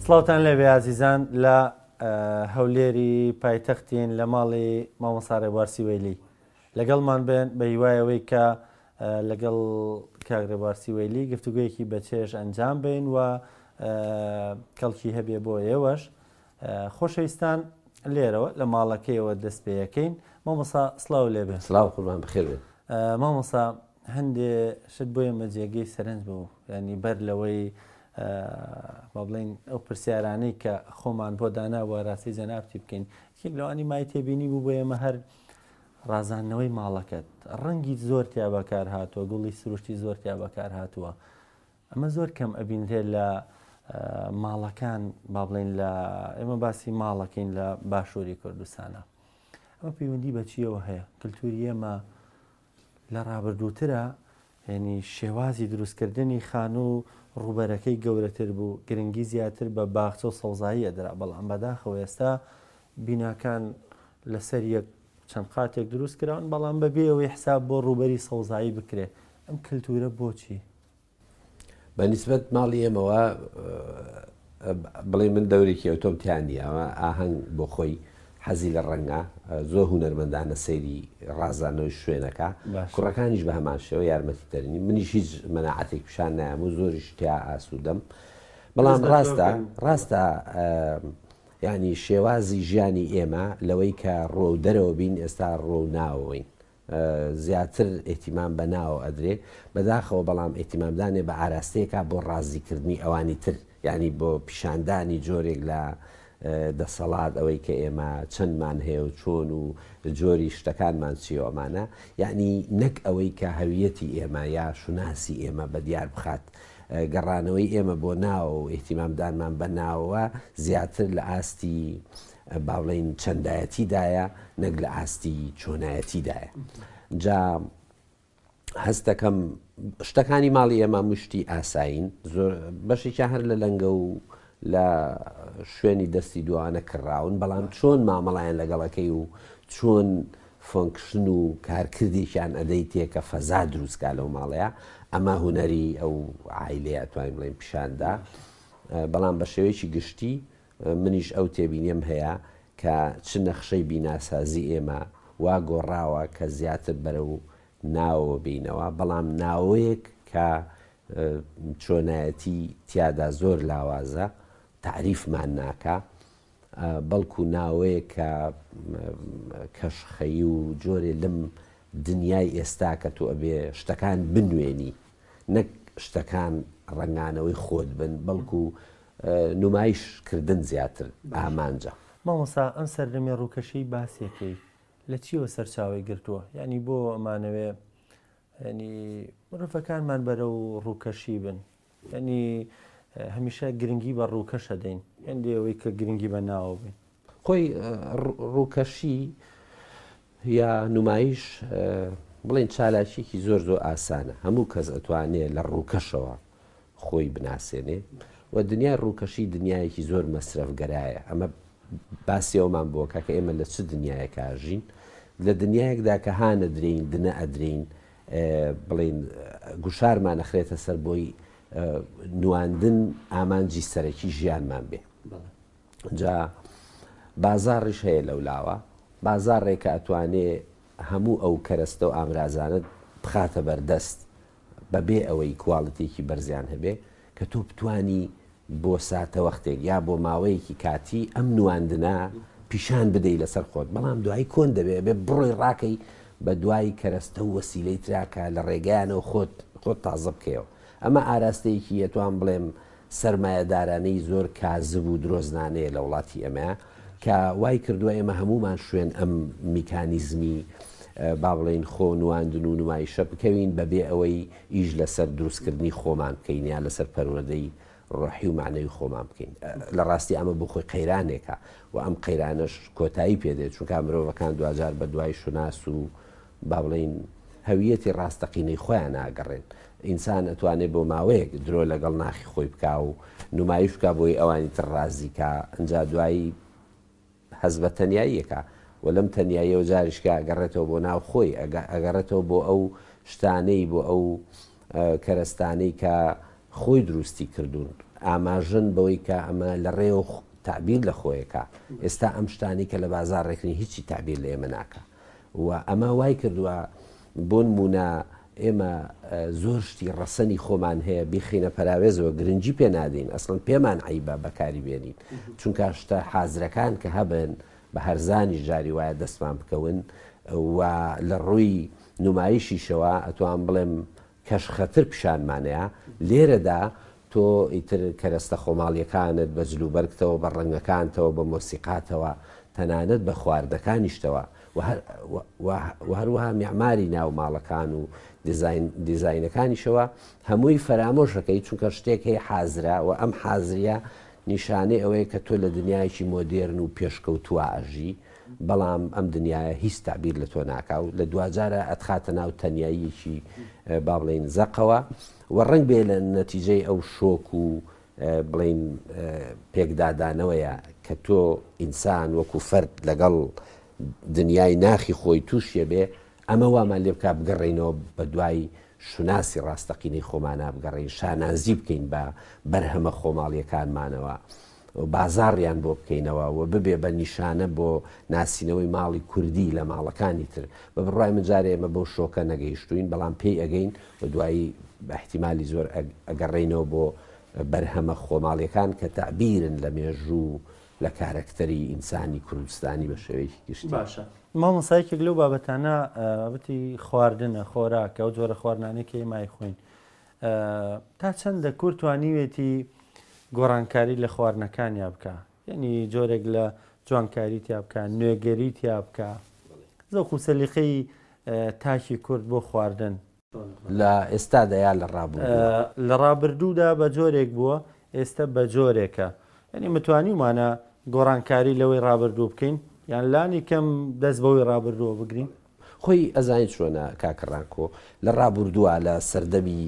سڵاوتان لێبێ ئازیزان لە هەولێری پایتەختین لە ماڵی مامۆستا ڕێبوار سیوەیلی لەگەڵمان بن بە هیوای ئەوەی کە لەگەڵ کاک ڕێبوار سیوەیلی گفتوگۆیەکی بەچێژ ئەنجام بین و کەڵکی هەبێ بۆ ئێوەش خۆشەویستان لێرەوە لە ماڵەکەیەوە دەست پێ ئەکەین مامۆستا سڵاو لێبێ. سڵاو قوربان بەخێر بێن. مامۆستا هەندێ شت بۆ ئێمە جێگەی سەرنج بوو یانی بەر لەوەی با بڵێین ئەو پرسیارانەی کە خۆمان بۆ دانابوو ئاراستەی جەنابتی بکەین یەکێک لەوانی مای تێبینی بوو بۆ ئێمە هەر ڕازاندنەوەی ماڵەکەت ڕەنگی زۆر تیا بەکار هاتووە گوڵی سروشتی زۆر تیا بەکار هاتووە ئەمە زۆر کەم ئەبینرێت لە ماڵەکان با بڵێین لە ئێمە باسی ماڵەکەین لە باشووری کوردستانە ئەمە پەیوەندی بە چیەوە هەیە کللتوری ئێمە لە ڕابردووترە یعنی شێوازی دروستکردنی خانوو ڕووبەرەکەی گەورەتر بوو گرنگی زیاتر بە باخچە و سەوزایی ئەدرا بەڵام بەداخەوە ئێستا بیناکان لەسەر یەک چەند قاتێک دروست کراون بەڵام بەبێ ئەوەی حساب بۆ ڕووبەری سەوزایی بکرێ ئەم کللتورە بۆچی؟ بە نیسبەت ماڵی ئێمەوە بڵێ من دەورێکی ئەوتۆم تیا نییە ئەمە ئاهەنگ بۆ خۆی حەزی لە ڕەنگە زۆر هونەرمەندانە سەیری ڕازانەوەی شوێنەکە کوڕەکانیش بە هەمان شێوە یارمەتی دەرنی منیش هیچ مەناعەتێک پیشان نایەم و زۆریش تیا ئاسوودەم بەڵام ڕاستە ڕاستە ینی شێوازی ژیانی ئێمە لەوەی کە ڕۆ دەرەوە بین ئێستا ڕۆ ناوەوەین زیاتر ئیهتیمام بە ناوە ئەدرێ بەداخەوە بەڵام ئیهتیمامدانێ بە ئاراستەیەکا بۆ ڕازیکردنی ئەوانی تر یانی بۆ پیشاندانی جۆرێک لە دەسەڵات ئەوەی کە ئێمە چەندمان هەیە و چۆن و جۆری شتەکانمان چیە و ئەمانە یانی نەک ئەوەی کە هەویەتی ئێمە یا شوناسی ئێمە بە دیار بخات گەڕانەوەی ئێمە بۆ ناوە و ئیهتیمامدانمان بە ناوە زیاتر لە ئاستی با بڵێین چەندایەتیدایە نەک لە ئاستی چۆنایەتیدایە جا هەست دەکەم شتەکانی ماڵی ئێمە مشتی ئاسایین زۆر بەشێکیان هەر لە لەنگە و لە شوێنی دەستی دوانە کڕاون بەڵام چۆن مامەڵیان لەگەڵەکەی و چۆن function و کارکردێکیان ئەدەی تێ کە فەزا دروستکا لەو ماڵەیە ئەمە هونەری ئەو عایلەیە توانین بڵێین پیشاندا بەڵام بە شێوەیەکی گشتی منیش ئەو تێبینیەم هەیە کە چ نەخشەی بیناسازی ئێمە وا گۆڕاوە کە زیاتر بەرەو ناوەوە بێینەوە، بەڵام ناوەیەک کە چۆنایەتی تیادا زۆر لاوازە، تەعریفمان ناکا، بەڵکو ناوەیەک کە کەشخەیی و جۆرێ لەم دنیای ئێستا کە تۆ ئەبێ شتەکان بنوێنی، نەک شتەکان ڕەنگانەوەی خۆت بن، بەڵکو نمایش کردن زیاتر ئامانجە. مامۆستا ئەم سەردەمی ڕووکەشەی باسیەکەی لە چیەوە سەرچاوەی گرتووە؟ یانی بۆ ئەمانەوێ یانی مرۆڤەکانمان بەرەو ڕووکەشی بن یانی هەمیشە گرنگی بە ڕووکەش ئەدەین هێندەی ئەوەی کە گرنگی بە ناوە بین. خۆی ڕووکەشی یا نمایش بڵێن چالاکیەکی زۆر زۆر ئاسانە هەموو کەس ئەتوانێ لە ڕووکەشەوە خۆی بناسێنێ و دنیای ڕووکەشی دنیایەکی زۆر مەسرەفگەرایە ئەمە باسی ئەومان بۆ کە ئێمە لە چ دنیایەکا ژین لە دنیایەکدا کە هانەدرێین دنە ئەدرێین بڵین گوشارمان ئەخرێتە سەر بۆی نواندن ئامانجی سەرەکی ژیانمان بێ جا بازاڕیش هەیە لەولاوە بازاڕێکە ئەتوانێ هەموو ئەو کەرەستە و ئامرازانە بخاتە بەردەست بەبێ ئەوەی کواڵیتیەکی بەرزیان هەبێ کە تۆ بتوانی بۆ ساتەوەختێک یا بۆ ماوەیەکی کاتی ئەم نواندنە پیشان بدەی لەسەر خۆت بەڵام دوایی کۆن دەبێ ئەبێ بڕۆی ڕاکەی بە دوای کەرەستە و وەسیلەی ترا کە لە ڕێگایانەوە خۆت خۆت تازە بکەیەوە ئەمە ئاراستەیەکی ئەتوان بڵێم سەرمایەدارانەی زۆر کازب و درۆزنانەیە لە وڵاتی ئێمەیا کە وای کردووە ئێمە هەموومان شوێن ئەم میکانیزمی با بڵێین خۆ نواندن و نمایشە بکەوین بەبێ ئەوەی ئیش لەسەر دروستکردنی خۆمان بکەین یا لەسەر پەروەردەی ڕۆحی و مەعنەوی خۆمان بکەین. لە ڕاستی ئەمە بۆ خۆی قەیرانێکە و ئەم قەیرانەش کۆتایی پێ دێت چونکە مرۆڤەکان دواجار بە دوای شوناس و با بڵێین هەویەتی ڕاستەقینەی خۆیان ناگەڕێن. ئینسان ئەتوانێ بۆ ماوەیەک درۆ لەگەڵ ناخی خۆی بکا و نومایش بکا بۆی ئەوانی تر ڕازی کا، ئنجا دوایی هەست بە تەنیایی ئەکا و لەم تەنیاییەوە جاریشکە ئەگەڕێتەوە بۆ ناو خۆی، ئەگەڕێتەوە بۆ ئەو شتانەی، بۆ ئەو کەرەستانەی کە خۆی دروستی کردوون. ئاماژەن بەوەی کە ئەمە لە ڕێوە تەعبیر لە خۆیەکا. ئێستا ئەم شتانەی کە لە بازاڕ ڕێکرین هیچی تەعبیر لە ئێمە ناکا و ئەمە وای کردووە بۆ نموونە ئێمە زۆر شتی ڕەسەنی خۆمان هەیە بیخەینە پەراوێزەوە گرنگی پێ نادەین ئەسڵەن پێمان عەیبە بەکاری بێنین چونکە شتە حازرەکان کە هەبن بە هەرزانیش جاری وایە دەستمان بکەون و لە ڕووی نمایشیشەوە ئەتوان بڵێم کەشخەتر پیشانمانەیا، لێرەدا تۆ ئیتر کەرەستە خۆماڵیەکانت بە جلوبەرگتەوە، بە ڕەنگەکانتەوە، بە مۆسیقاتەوە، تەنانەت بە خواردنەکانیشتەوە و هەروەها میعماری ناو ماڵەکان و دیزاینەکانیشەوە هەمووی فەرامۆش ئەکەی، چونکە شتێک هەیە حازرە و ئەم حازریە نیشانەی ئەوەیە کە تۆ لە دنیایەکی مۆدێرن و پێشکەوتووە ئەژی. بەڵام ئەم دنیایە هیچ تەعبیر لە تۆ ناکا و لە دواجارا ئەتخاتە ناو تەنیاییەکی با بڵێین زەقەوە و ڕەنگ بێ لە نەتیجەی ئەو شۆک و بڵێین پێکدادانەوەیە کە تۆ ئینسان وەکو فەرد لەگەڵ دنیای ناخی خۆی تووشیە بێ ئەمە وامان لێ بکا بگەڕێینەوە بە دوای شوناسی ڕاستەقینەی خۆمانا بگەڕێین شانازی بکەین بە بەرهەمە خۆماڵیەکانمانەوە و بازاڕیان بۆ بکەینەوە و ببێ بە نیشانە بۆ ناسینەوەی ماڵی کوردی لە ماڵەکانی تر. بە بڕوای من جارێ ئێمە بەو شۆکە نەگەیشتووین، بەڵام پێی ئەگەین و دوایی بە ئیحتیمالی زۆر ئەگەڕێینەوە بۆ بەرهەمە خۆماڵیەکان کە تەعبیرن لە مێژوو و لە کارەکتەری ئینسانی کوردستانی بە شێوەیەکی گشتی. باشە مامۆستا یەکێک لەو بابەتانە بابەتی خواردنە، خۆراکە، ئەو جۆرە خواردنانەی کە ئێمە ئەیخۆین. تا چەندە کورد توانیوێتی گۆڕانکاری لە خواردنەکانیا بکا یعنی جۆرێک لە جوانکاری تیا بکا نوێگەری تیا بکا زەوق و سەلیقەی تاکی کورد بۆ خواردن لە ئێستادا یا لە ڕابردوودا؟ لە ڕابردوودا بە جۆرێک بووە ئێستە بە جۆرێکە یعنی متوانیومانە گۆڕانکاری لەوەی ڕابردوو بکەین یان لانی کەم دەست بەوەی ڕابردووە بگرین؟ خۆی ئەزانی چۆنە کاکە ڕانکۆ لە ڕابوردووە لە سەردەمی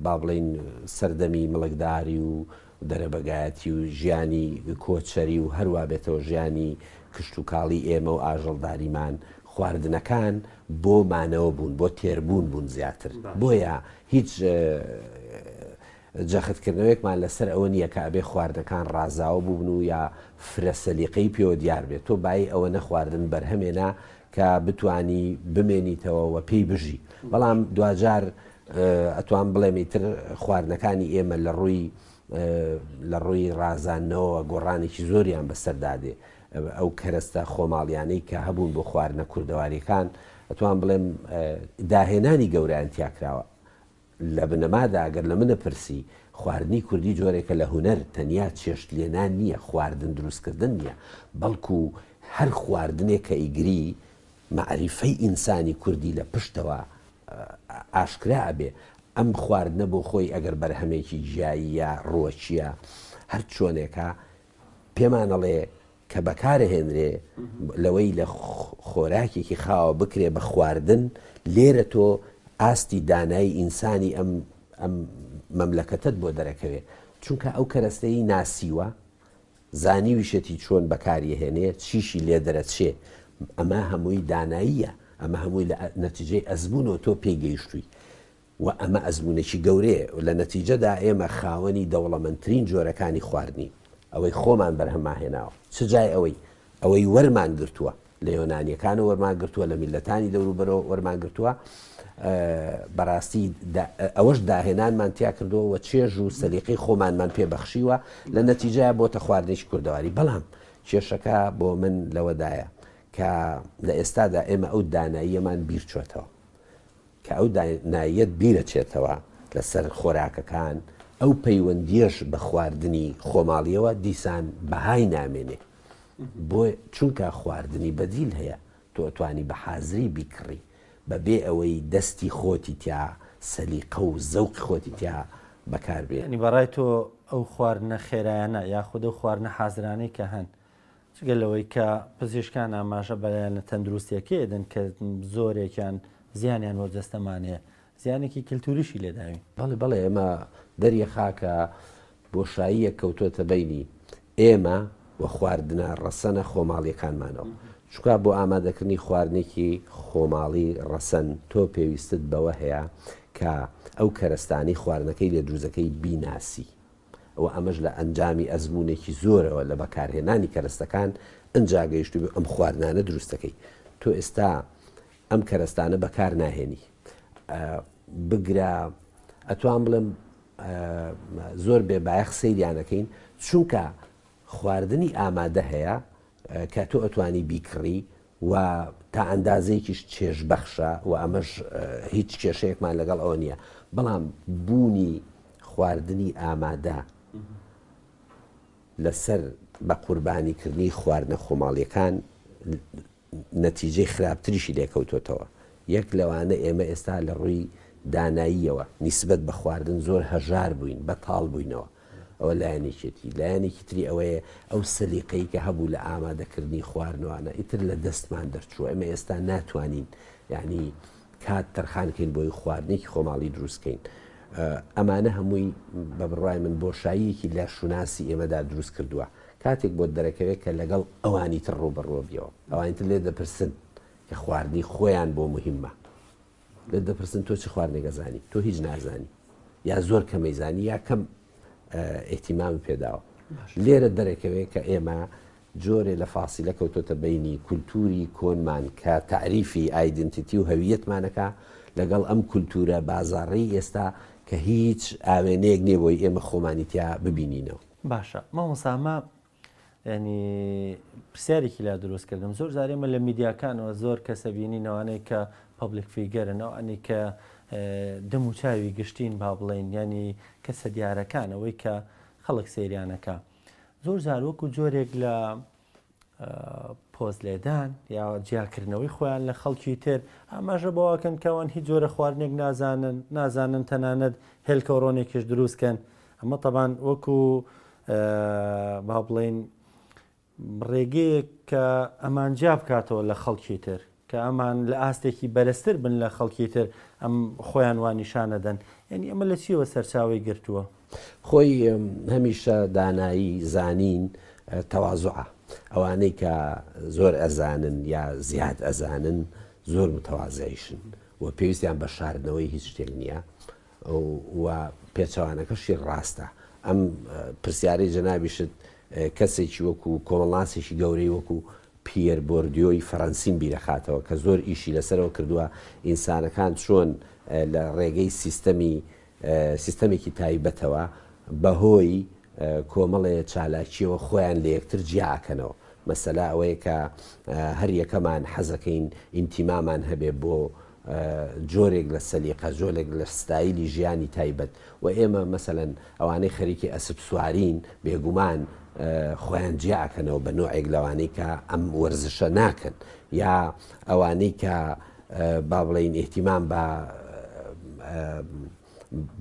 با بڵێین سەردەمی مڵکداری و دەرەبەگایەتی و ژیانی کۆچەری و هەروا بێتەوە ژیانی کشتوکاڵی ئێمە و ئاژەڵداریمان خواردنەکان بۆ مانەوە بوون بۆ تێربوون بوون زیاتر بۆیە هیچ جەختکردنەوەیەکمان لەسەر ئەوە نییە کە ئەبێ خواردنەکان ڕازاوە بووبن و یا فرە سەلیقەی پێوە دیار بێت تۆ بایی ئەوەنە خواردن بەرهەمێنا کە بتوانی بمێنیتەوە و پێی بژی بەڵام دواجار ئەتوان بڵێم ئیتر خواردنەکانی ئێمە لە ڕووی لە ڕووی ڕازاندنەوە گۆڕانێکی زۆریان بەسەردا دێ ئەو کەرەستە خۆماڵیانەی کە هەبوون بۆ خواردنە کوردەواریەکان ئەتوان بڵێم داهێنانی گەورەیان تیا کراوە لە بنەمادا گەر لە من ئەپرسی، خواردنی کوردی جۆرێکە لە هونەر، تەنیا چێشت لێنان نییە، خواردن دروستکردن نییە، بەڵکو هەر خواردنێک کە ئیگری، مەعریفەی ئینسانی کوردی لە پشتەوە ئاشکرا ئەبێ. ئەم خواردنە بۆ خۆی ئەگەر بەرهەمێکی گیاییە، ڕووەکییە، هەر چۆنێکە، پێمان ئەڵێ کە بەکارئەهێنرێ لەوەی لە خۆراکێکی خاوە بکرێ بە خواردن، لێرە تۆ ئاستی دانایی ئینسانی ئەم ئەم مەملەکەتەت بۆ دەرەکەوێ، چونکە ئەو کەرەستەی ناسیوە، زانیویشێتی چۆن بەکاریەهێنێ، چیشی لێ دەرەچێ، ئەمە هەمووی داناییە، ئەمە هەمووی لە نەتیجەی ئەزموونەوە تۆ پێی گەیشتووی. و ئەمە ئەزموونێکی گەورەیە و لە نەتیجەدا ئێمە خاوەنی دەوڵەمەندترین جۆرەکانی خواردنین، ئەوەی خۆمان بەرهەممان هێناوە، چ جای ئەوەی ئەوەی وەرمان گرتووە، لە یۆنانییەکانەوە وەرمان گرتووە، لە میللەتانی دەوروبەرەوە وەرمان گرتووە، بەڕاستی ئەوەش داهێنانمان تیا کردووە و چێژ و سەلیقەی خۆمانمان پێ بەخشیوە، لە نەتیجەیا بۆتە خواردنێکی کوردەواری. بەڵام کێشەکە بۆ من لەوەدایە کە لە ئێستادا ئێمە ئەو داناییەمان بیرچۆتەوە. کە ئەو داناییەت بیرەچێتەوە لەسەر خۆراکەکان، ئەو پەیوەندییەش بە خواردنی خۆماڵییەوە دیسان بەهای نامێنێ. بۆ چونکە خواردنی بەدیل هەیە، تۆ ئەتوانی بە حازری بیکڕی بە بێ ئەوەی دەستی خۆتی تیا سەلیقە و زەوقی خۆتی تیا بەکار بێنی. یانی بەڕای تۆ ئەو خواردنە خێرایانە یاخود ئەو خواردنە حازرانەی کە هەن جگە لەوەی کە پزیشکان ئاماژە بە لایەنە تەندروستییەکەی ئەدەن کە زۆرێکیان زیانیان بۆ جەستەمان هەیە، زیانێکی کلتوریشی لێ داوین. بەڵێ بەڵێ ئێمە دەریەخا کە بۆشاییەک کەوتۆتە بەینی ئێمە و خواردنە ڕەسەنە خۆماڵیەکانمانەوە. چونکا بۆ ئامادەکردنی خواردنێکی خۆماڵی ڕەسەن تۆ پێویستت بەوە هەیە کە ئەو کەرەستانەی خواردنەکەی لێ دروست دەکەی بیناسی. و ئەمەش لە ئەنجامی ئەزموونێکی زۆرەوە لە بەکارهێنانی کەرەستەکان ئنجا گەیشتووی ئەم خواردنانە دروستەکەی. تۆ ئێستا ئەم کەرەستانە بەکار ناهێنی. بگرە ئەتوان بڵێم زۆر بێ بایەخ سەیریانەکەین چونکە خواردنی ئامادە هەیە کە تۆ ئەتوانی بیکڕی و تا ئەندازەیەکیش چێژبەخشە و ئەمەش هیچ کێشەیەکمان لەگەڵ ئەوە نییە بەڵام بوونی خواردنی ئامادە لەسەر بە قوربانیکردنی خواردنە خۆماڵیەکان نەتیجەی خراپتریشی لێکەوتۆتەوە، یەک لەوانە ئێمە ئێستا لە ڕووی داناییەوە نیسبەت بە خواردن زۆر هەژار بووین، بەتاڵ بووینەوە، ئەوە لایەنێکیەتی، لایەنێکی تری ئەوەیە ئەو سەلیقەی کە هەبوو لە ئامادەکردنی خواردنەوانە ئیتر لە دەستمان دەرچووە، ئێمە ئێستا ناتوانین یانی کات تەرخان کەین بۆی خواردنێکی خۆماڵی دروست کەین. ئەمانە هەمووی بە بڕوای من بۆشاییەکی لە شوناسی ئێمەدا دروست کردووە. کاتێک بۆت دەرەکەوێت کە لەگەڵ ئەوانی تر ڕووبەڕووە بیەوە، ئەوانی تر لێت دەپرسن کە خواردنی خۆیان بۆ موهیمە، لێت دەپرسن تۆ چ خواردنێک ئەزانی، تۆ هیچ نازانی یا زۆر کەمەی زانی یا کەم ئیهتیمامت پێداوە. لێرە دەرەکەوێت کە ئێمە جۆرێ لە فاسیلە کەوتۆتە بەینی کولتووری کۆنمان کە تەعریفی ئایدنتیتی و هەویەتمانەکا لەگەڵ ئەم کولتوورە بازاڕەی ئێستا کە هیچ ئاوێنەیەک نییە بۆی ئێمە خۆمانی تیا ببینینەوە. باشە مامۆستا ئەمە ینی پرسیارێکی لا دروست کردم زۆر جار ئێمە لە میدیاکانەوە زۆر کەسە بینین ئەوانەی کە پبلیک فیگەرن ئەوانەی کە دەم و چاوی گشتین با بڵین ینی کەسە دیارەکان ئەوەی کە خەڵک سەیریانەکە زۆر جار وەکو جۆرێک لە پۆز لێدان یا جیاکردنەوەی خۆیان لە خەڵکی تر ئاماژە بەوەکەن کەوان هیچ جۆرە خواردنێک نازانن نازانن تەنانەت هێلکە و ڕۆنێکیش دروستکەن ئەمە تەبان وەکو با بڵین ڕێگەیەک کە ئەمان جیا بکاتەوە لە خەڵکی تر کە ئەمان لە ئاستێکی بەرزتر بن لە خەڵکی تر ئەم خۆیان وا نیشان ئەدەن یانی ئەمە لە چیەوە سەرچاوەی گرتووە؟ خۆی هەمیشە دانایی، زانین، تەوازوعە. ئەوانەی کە زۆر ئەزانن یا زیاد ئەزانن زۆر متەوازعیشن و پێویستیان بە شاردنەوەی هیچ شتێک نییە و پێچەوانەکەشی ڕاستە. ئەم پرسیارەی جەنابیشت کەسێکی وەکو کۆمەڵناسێکی گەورەی وەکو پیەر بۆردیۆی فەرەنسیم بیرەخاتەوە کە زۆر ئیشی لەسەرەوە کردووە ئینسانەکان چۆن لە ڕێگەی سیستەمی سیستەمێکی تایبەتەوە بەهۆی کۆمەڵێ چالاکیەوە خۆیان لە یەکتر جیا ئەکەنەوە مەسەلە ئەوەیە کە هەر یەکەمان حەزەکەین ئینتیمامان هەبێ بۆ جۆرێک لە سەلیقە، جۆرێک لە ستایلی ژیانی تایبەت و ئێمە مەسەلەن ئەوانەی خەریکی ئەسپ سوارین بێگومان خۆیان جیا ئەکەنەوە بە نۆعێک لەوانەی کە ئەم وەرزشە ناکەن یا ئەوانەی کە با بڵێین ئیهتیمام بە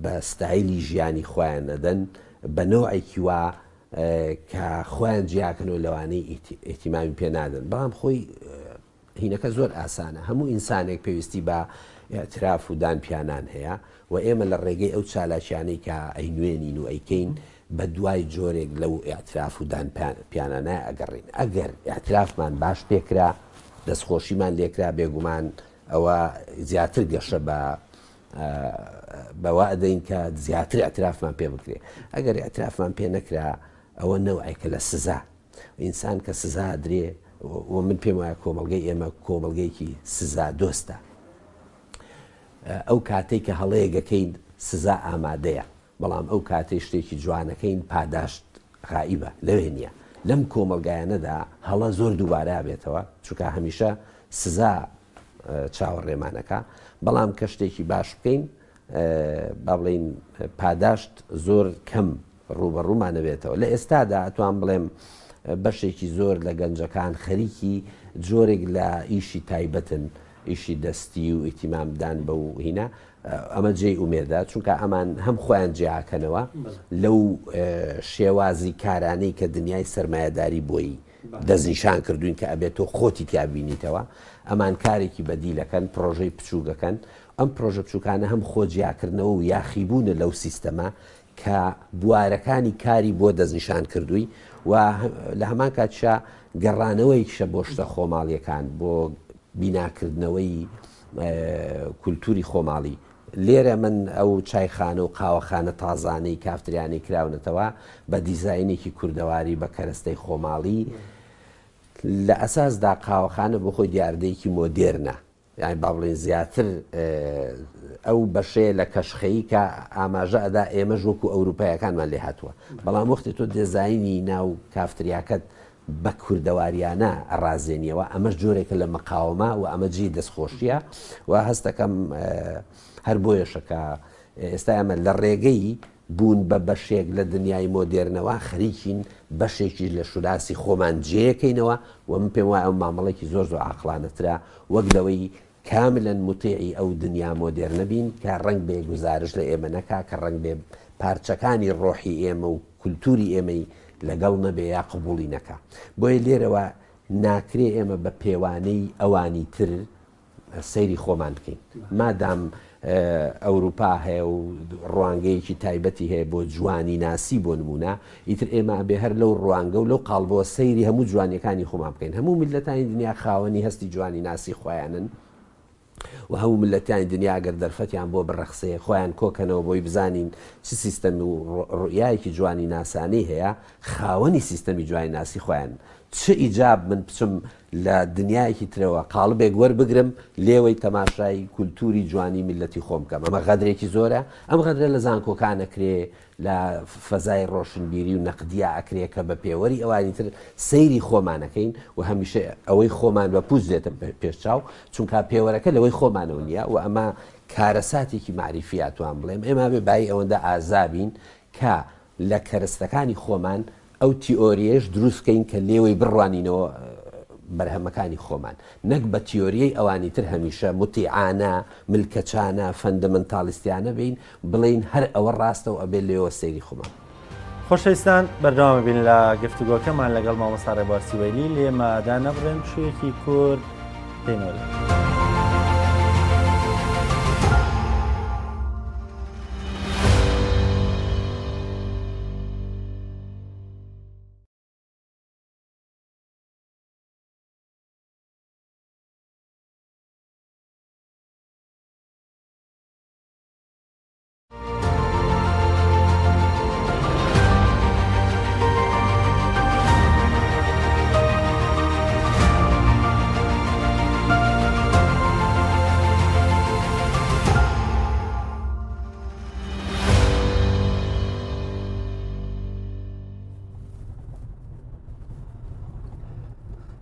بە ستایلی ژیانی خۆیان ئەدەن بە نۆعێکی وا کە خۆیان جیاکەنەوە لەوانەی ئیهتیمامی پێ نادەن بەڵام خۆی هینەکە زۆر ئاسانە، هەموو ئینسانێک پێویستی بە ئیعتراف و دان پیانان هەیە و ئێمە لە ڕێگەی ئەو چالاکیانەی کە ئەینوێنین و ئەیکەین بە دوای جۆرێک لەو ئیعتراف و دان پیانانە ئەگەڕێین. ئەگەر ئیعترافمان باش پێکرا، دەستخۆشیمان لێکرا، بێگومان ئەوە زیاتر گەشە بە بەوە ئەدەین کە زیاتر ئیعترافمان پێ بکرێ. ئەگەر ئیعترافمان پێ نەکرا، ئەوە نەوعێکە لە سزا. ئینسان کە سزا ئەدرێ و من پێم وایە کۆمەڵگەی ئێمە کۆمەڵگەیەکی سزا دۆستە ئەو کاتەی کە هەڵەیەگەکەین سزا ئامادەیە بەڵام ئەو کاتەی شتێکی جوانەکەین پاداشت غائیبە لەوێ نییە لەم کۆمەڵگایانەدا هەڵە زۆر دووبارە بێتەوە چونکە هەمیشە سزا چاوەڕێمانەکە بەڵام کە شتێکی باش بکەین با بڵێین پاداشت زۆر کەم ڕووبەڕوومان ئەبێتەوە. لە ئێستادا ئەتوان بڵێم بەشێکی زۆر لە گەنجەکان خەریکی جۆرێک لە ئیشی تایبەتن، ئیشی دەستی و ئیهتیمام دان بەو هینە، ئەمە جێی ئومێدە، چونکە ئەمان هەم خۆیان جیاکەنەوە لەو شێوازی کارانەی کە دنیای سەرمایەداری بۆی دەستنیشان کردوین کە ئەبێت تۆ خۆتی تیا بینیتەوە، ئەمان کارێکی بەدیل ئەکەن، پڕۆژەی بچووک ئەکەن، ئەم پڕۆژە بچووکانە هەم خۆ جیاکردنەوە و یاخیبوونە لەو سیستەمە کە بوارەکانی کاری بۆ دەستنیشان کردووی و لە هەمان کاتیشا گەڕانەوەیکشە بۆ شتە خۆماڵیەکان، بۆ بیناکردنەوەی کولتوری خۆماڵی. لێرە من ئەو چایخانە و قاوەخانە تازانەی کافتریانەی کراونەتەوە بە دیزاینێکی کوردەواری بە کەرەستەی خۆماڵی لە ئەساسدا قاوەخانە بۆ خۆی دیاردەیەکی مۆدێرنە یانی با بڵێین زیاتر ئەو بەشەیە لە کەشخەیی کە ئاماژە ئەدا ئێمەش وەکو ئەوروپایەکانمان لێ هاتووە بەڵام وەختی تۆ دێزاینی ناو کافتریاکەت بە کوردەواریانە ئەڕازێنیەوە ئەمەش جۆرێکە لە مقاومە و ئەمە جێی دەستخۆشیە و هەستەکەم هەر بۆیەشە کە ئێستا ئێمە لە ڕێگەی بوون بە بەشێک لە دنیای مۆدێرنەوە خەریکین بەشێکیش لە شوناسی خۆمان جێیەکەینەوە و من پێم وایە ئەو مامەڵەیەکی زۆر زۆر عاقڵانەترە وەک لەوەی کاملا موتیعی ئەو دنیا مۆدێرنە بین کە ڕەنگبێ گوزارش لە ئێمە نەکا، کە ڕەنگبێ پارچەکانی ڕۆحی ئێمە و کولتووری ئێمەی لەگەڵ نەبێ یا قبووڵی نەکا. بۆیە لێرەوە ناکرێ ئێمە بە پێوانەی ئەوانی تر سەیری خۆمان بکەین. مادام ئەوروپا هەیە و ڕوانگەیەکی تایبەتی هەیە بۆ جوانیناسی بۆ نموونە، ئیتر ئێمە ئەبێ هەر لەو ڕوانگە و لەو قاڵبەوە سەیری هەموو جوانیەکانی خۆمان بکەین. هەموو میللەتانی دنیا خاوەنی هەستی جوانیناسی خۆیانن و هەموو میللەتانی دنیا ئەگەر دەرفەتیان بۆ بڕەخسێ خۆیان کۆکەنەوە بۆی بزانین چ سیستەم و ڕوئیایەکی جوانیناسانەی هەیە، خاوەنی سیستەمی جوانیناسی خۆیانن. چ ئیجاب من بچم لە دنیایەکی ترەوە قاڵبێک وەربگرم لێوەی تەماشای کولتوری جوانی میللەتی خۆم بکەم ئەمە غەدرێکی زۆرە ئەم غەدرە لە زانکۆکان ئەکرێ لە فەزای ڕۆشنبیری و نەقدیا ئەکرێ کە بە پێوەری ئەوانی تر سەیری خۆمان ئەکەین و هەمیشە ئەوەی خۆمان بە پوچ دێتە پێش چاو چونکا پێوەرەکە لەوەی خۆمانەوە نییە و ئەمە کارەساتێکی مەعریفیە ئەتوان بڵێم ئێمە بێ بایی ئەوەندە ئازابین کە لە کەرستەکانی خۆمان ئەو تیئۆرییەش دروست بکەین کە لێوەی بڕوانینەوە بەرهەمەکانی خۆمان، نەک بە تیۆریی ئەوانی تر هەمیشە موتیعانە، ملکەچانە، فەندەمەنتالیستیانە بین، بڵێین هەر ئەوە ڕاستە و ئەبێ لێوە سەیری خۆمان بکەین. خۆشەویستان بەردەوام بین لە گفتوگۆکەمان لەگەڵ مامۆستا ڕێبوار سیوەیلی لێمە دانەبڕێن پشوویەکی کورت دێینەوە لای.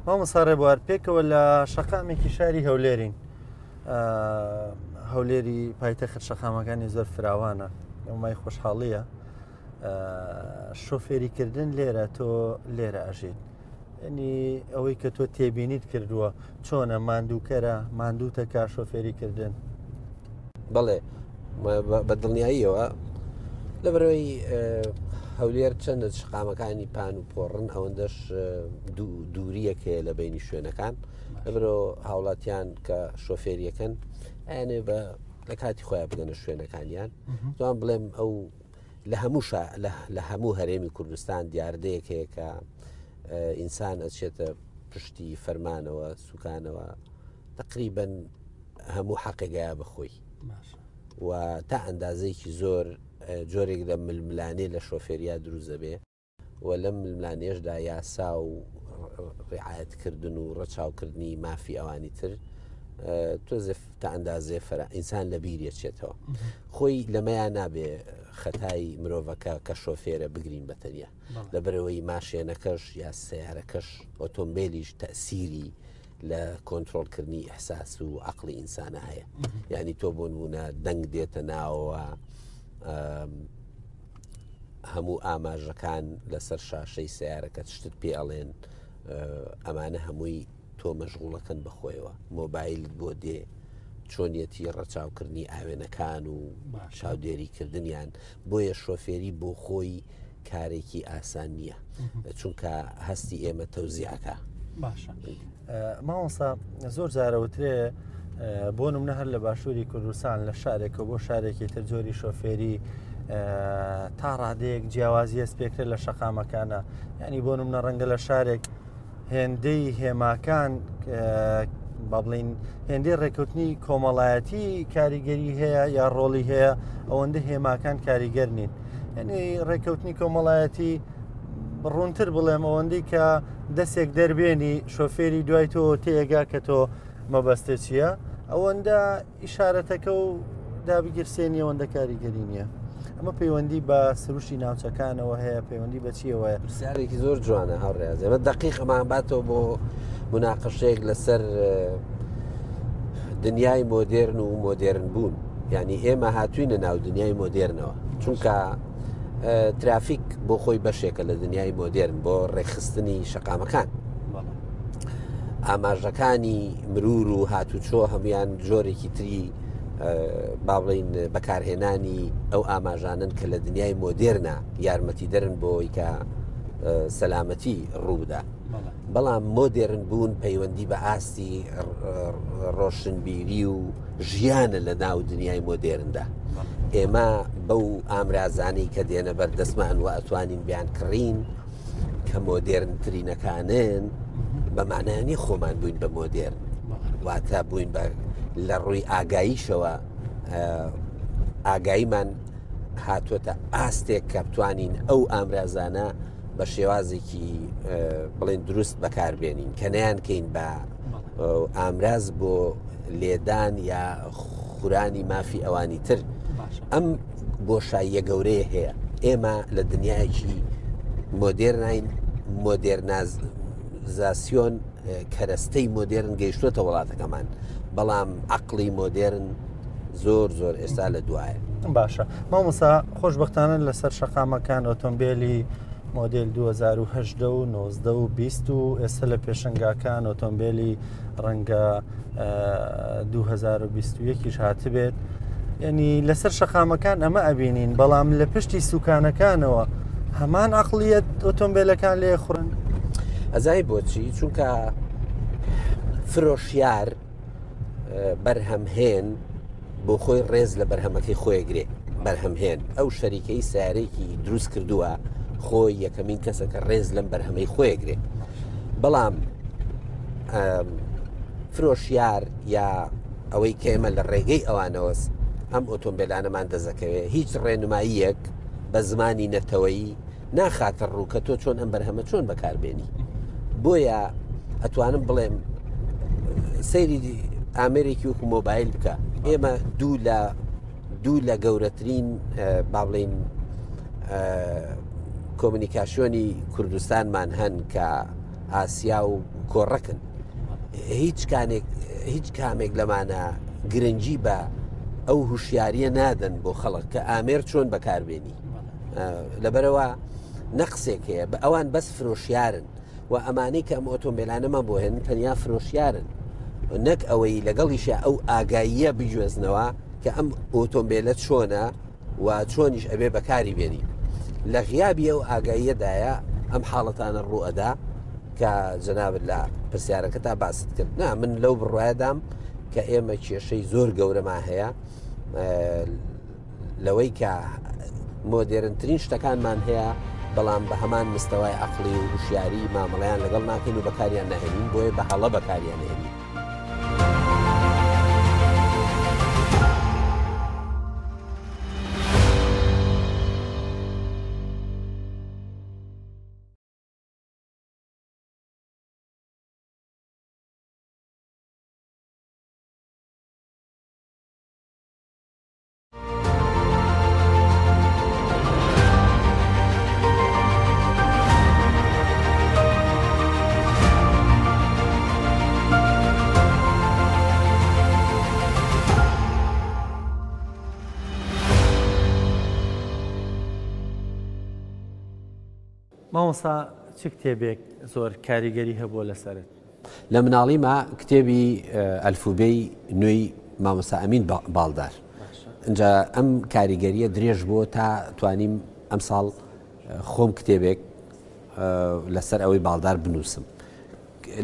مامۆستا ڕێبوار پێکەوە لە شەقامێکی شاری هەولێرین هەولێری پایتەخت شەقامەکانی زۆر فراوانە ئەومای خۆشحاڵیە شۆفێریکردن لێرە تۆ لێرە ئەژیت ینی ئەوەی کە تۆ تێبینیت کردووە چۆنە ماندووکەرە ماندووتەکە شۆفێری کردن بەڵێ بە دڵنیاییەوە لەبەرەوەی هەولێر چەندە شقامەکانی پان و پۆڕن ئەوەندەش دووریەک هەیە لە بینی شوێنەکان لەبەرەوە هاوڵاتیان کە شۆفێریەکەن ئەیانێ بە لە کاتی خۆیان بگەنە شوێنەکانیان توان بڵێم ئەو لە هەموو لە هەموو هەرێمی کوردستان دیاردەیەک هەیە کە ئینسان ئەچێتە پشتی فەرمانەوە سوکانەوە تقریبن هەموو حەقێگەیە بەخۆی و تا ئەندازەیەکی زۆر جۆرێک لە ململانێ لە شۆفێریا دروست دەبێ و لەم ململانێشدا یاسا و ڕعاەتکردن و ڕەچاوکردنی مافی ئەوانی تر تۆزێ تا ئەندازێ فەرا ئینسان لە بیریە چێتەوە خۆی لەمەیان نابێ خەتای مرۆڤەکە کە شۆفێرە بگرین بە تەنیا لەبەرەوەی ماشێنەکەش یا سیارەکەش ئۆتۆمبیلیش تەسیری لە کۆنترۆڵکردنی ئیحساس و عەقڵی ئینسانە هەیە یعنی تۆ بۆ نمونە دەنگ دێتە ناوەوە هەموو ئاماژەکان لەسەر شاشەی سیارەکە شتت پێ ئەڵێن ئەمانە هەمووی تۆ مەشغوڵەکەن بەخۆیەوە مۆبایلت بۆ دێ چۆنیەتی ڕەچاوکردنی ئاوێنەکان و چاودێریکردنیان بۆیە شۆفێری بۆ خۆی کارێکی ئاسان نییە چونکە هەستی ئێمە تەوزیعەکە باشە مامۆستا زۆر جارەوترێ بۆ نمونە هەر لە باشووری کوردستان لە شارێکە بۆ شارێکی تر جۆری شۆفێری تا ڕادەیەک جیاوازی هەست پێکرێت لە شەقامەکانە ینی بۆ نمونە ڕەنگە لە شارێک هێندەی هێماکان با بڵین هێندەی ڕێککەوتنی کۆمەڵایەتی کاریگەری هەیە یا ڕۆڵی هەیە ئەوەندە هێماکان کاریگەر نین یعنی ڕێککەوتنی کۆمەڵایەتی ڕوونتر بڵێم ئەوەندەی کە دەسێک دەربێنی شۆفێری دوای تۆ تێگا کە تۆ مەبەستە چییە ئەوەندە ئیشارەتەکە و دابگیرسێنی ئەوەندە کاریگەری نییە ئەمە پەیوەندی بە سروشتی ناوچەکانەوە هەیە پەیوەندی بە چیەوە پرسیارێکی زۆر جوانە هاوڕێز ئێمە دقیق ئەمان باتەوە بۆ مناقەشەیەک لەسەر دنیای مۆدێرن و مۆدێرن بوون یعنی ئێمە هاتوینە ناو دنیای مۆدێرنەوە چونکە ترافیک بۆ خۆی بەشێکە لە دنیای مۆدێرن بۆ ڕێکخستنی شەقامەکان ئاماژەکانی مرور و هاتوچۆ هەمویان جۆرێکی تری با بڵین بەکارهێنانی ئەو ئاماژانن کە لە دنیای مۆدێرنا یارمەتی دەرن بۆی کە سەلامەتی ڕوودا بەڵام مۆدێرن بوون پەیوەندی بە ئاستی ڕۆشنبیری و ژیانە لە ناو دنیای مۆدێرندا ئێمە بەو ئامرازانەی کە دێنە بەردەستمان و ئەتوانین بیان کڕین کە مۆدێرنترینەکانن بە معنایانی خۆمان بووین بە مۆدێرن واتە بووین بە لە ڕووی ئاگاییشەوە ئاگاییمان هاتووەتە ئاستێک کە بتوانین ئەو ئامرازانە بە شێوازێکی بڵێن دروست بەکاربێنین کە نیان کەین بە ئامراز بۆ لێدان یا خورانی مافی ئەوانی تر ئەم بۆشاییە گەورەیە هەیە ئێمە لە دنیایەکی مۆدێرنین مۆدێرنازاسیۆن کەرەستەی مۆدێرن گەیشتوتە وڵاتەکەمان بەڵام عقلی مۆدێرن زۆر زۆر ئێستا لە دوایە. باشە مامۆسا خۆشببختانە لەسەر شەقامەکان ئۆتۆمبیلی مۆدیل 2010 و 19 و 20 و ئێستا لە پێشنگاکان ئۆتۆمبیلی ڕەنگە 2021یش هاتبێت ینی لەسەر شەقامەکان ئەمە ئەبینین بەڵام لە پشتی سوکانەکانەوە هەمان عقلیت ئۆتۆمبیلەکان لێ خوڕن ئەزای بۆچی چونکە فرۆشیار بەرهەمهێن بۆ خۆی ڕێز لە بەرهەمەکەی خۆیگرێ بەرهەمهێن ئەو شەریکەی سیارێکی دروست کردووە خۆی یەکەمین کەسە کە ڕێز لەم بەرهەمەی خۆیگرێ بەڵام فرۆشیار یا ئەوەی کە ئێمە لە ڕێگەی ئەوانەوەس ئەم ئۆتۆمبیلانەمان دەزەکەوێت هیچ ڕێنماییەک بە زمانی نەتەوەیی ناخاتە ڕوو کە تۆ چۆن ئەم بەرهەمە چۆن بەکاربێنی بۆیە ئەتوانم بڵێم سەیری ئامێرێکی وەکو مۆبایل بکە ئێمە دوو لە دوو لە گەورەترین با بڵین کۆمونیکاسیۆنی کوردستانمان هەن کە ئاسیا و کۆڕەکن هیچ کانێک هیچ کامێک لەمانە گرنگی بە ئەو هوشیاریە نادەن بۆ خەڵک کە ئامێر چۆن بەکاربێنی لەبەرەوە نەقسێک هەیە بە ئەوان بەس فرۆشیارن و ئەمانەی کە ئەم ئۆتۆمبیلانەمان بۆ هێن تەنیا فرۆشیارن نەک ئەوەی لەگەڵیشە ئەو ئاگاییە بگوێزنەوە کە ئەم ئۆتۆمبیلە چۆنە و چۆنیش ئەبێ بەکاری بێنی لە غیابی ئەو ئاگاییەدایە ئەم حاڵەتانە ڕوئەدا کە جەنابت لە پرسیارەکە تا باست کرد نا من لەو بڕایەدام کە ئێمە کێشەی زۆر گەورەمان هەیە لەوەی کە مۆدێرنترین شتەکانمان هەیە بەڵام بە هەمان مستەوای عقلی و هوشیاری مامەڵیان لەگەڵ ناکەین و بەکاریان ناهێنین بۆیە بە هەڵە بەکاریان هێنین. مامۆستا چ کتێبێک زۆر کاریگەری هەبووە لەسەرت؟ لە مناڵیما کتێبی ئەلفوبێی نوێی مامۆستا ئەمین باڵدار ئینجا ئەم کاریگەریە درێژ بۆ تا توانیم ئەمساڵ خۆم کتێبێک لەسەر ئەوەی باڵدار بنووسم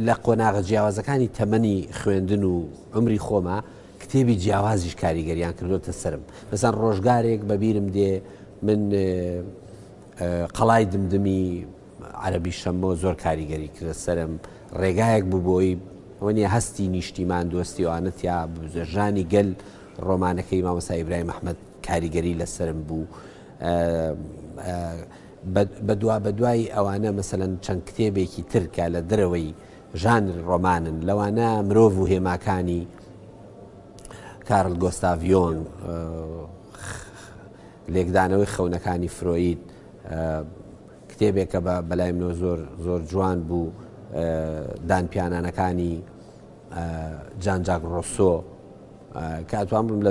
لە قۆناغە جیاوازەکانی تەمەنی خوێندن و عمری خۆما کتێبی جیاوازیش کاریگەریان کردوتە سرم مەسەن ڕۆژگارێک بەبیرم دێ من قەڵای دمدمی عەرەبی شەمۆ زۆر کاریگەری کردە سەرم ڕێگایەک بوو بۆی ئەوە نییە هەستی نیشتیمان دۆستی ئەوانە تیا ببزوێ. ژانی گەل ڕۆمانەکەی مامۆستا ئیبراهیم ئەحمەد کاریگەری لەسەرم بوو. بە دوا بە دوای ئەوانە مەسەلەن چەند کتێبێکی تر کە لە دەرەوەی ژانری ڕۆمانن لەوانە مرۆڤ و هێماکانی کارل گۆستاڤ یۆنگ، لێکدانەوەی خەونەکانی فرۆید کتێبێکە بە بەلای منەوە زۆر زۆر جوان بوو دانپیانانەکانی جان جاک ڕۆسۆ کە ئەتوان بم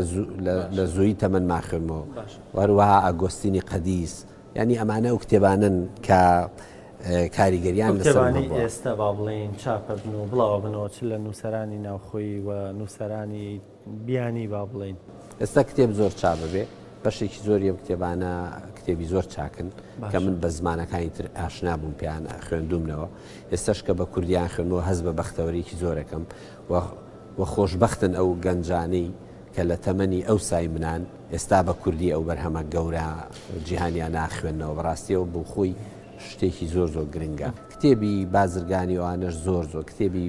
لە زووی تەمەنما خوێنمەوە وەروەها ئاگۆستینی قەدیس ینی ئەمانە ئەو کتێبانن کە کاریگەریان لەسەر ئێستا با بڵێین چاپە بن و بڵاوە بنەوە چ لە نووسەرانی ناوخۆی و نووسەرانی بیانی با بڵێین. ئێستا کتێب زۆر چاپ ئەبێ، بەشێکی زۆری ئەم کتێبانە کتێبی زۆر چاکن کە من بە زمانەکانی تر ئاشنا بووم پێیان خوێندوومنەوە، ئێستاش کە بە کوردیان خوێندمەوە هەست بە بەختەوەریی زۆرەکەم و و خۆشبەختن ئەو گەنجانەی کە لە تەمەنی ئەوسای منان ئێستا بە کوردی ئەو بەرهەمە گەورە جیهانیانە ئەخوێننەوە، بەڕاستی ئەوە بۆ خۆی شتێکی زۆر زۆر گرنگە. کتێبی بازرگانی ئەوانەش زۆر زۆر کتێبی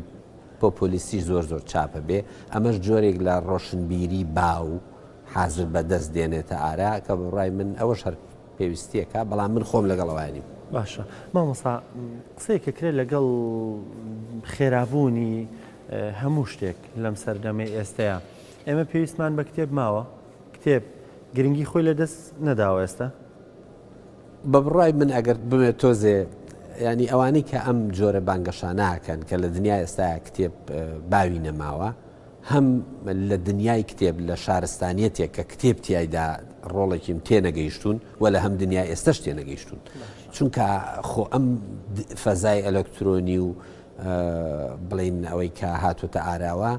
پۆپۆلیستیش زۆر زۆر چاپە بێ، ئەمەش جۆرێک لە ڕۆشنبیری باو حازر بە دەست دێنێتە ئارا کە بە بڕای من ئەوەش هەر پێویستییەکە، بەڵام من خۆم لەگەڵ ئەوە نیم. باشە مامۆستا قسەیەک ئەکرێت لەگەڵ خێرابوونی هەموو شتێک لەم سەردەمەی ئێستەیا ئێمە پێویستمان بە کتێب ماوە؟ کتێب گرنگی خۆی لەدەست نەداوە ئێستا؟ بە بڕوای من ئەگەر بمەوێت تۆزێ یانی ئەوانەی کە ئەم جۆرە بانگەشانە ئەکەن کە لە دنیای ئێستایا کتێب باوی نەماوە هەم لە دنیای کتێب لە شارستانیەتێک کە کتێب تیایدا ڕۆڵێکیم تێنەگەیشتوون و لە هەم دنیای ئێستەش تێنەگەیشتوون چونکە خۆ ئەم فەزای ئەلکترۆنی و بڵین ئەوەی کە هاتوتە ئاراوە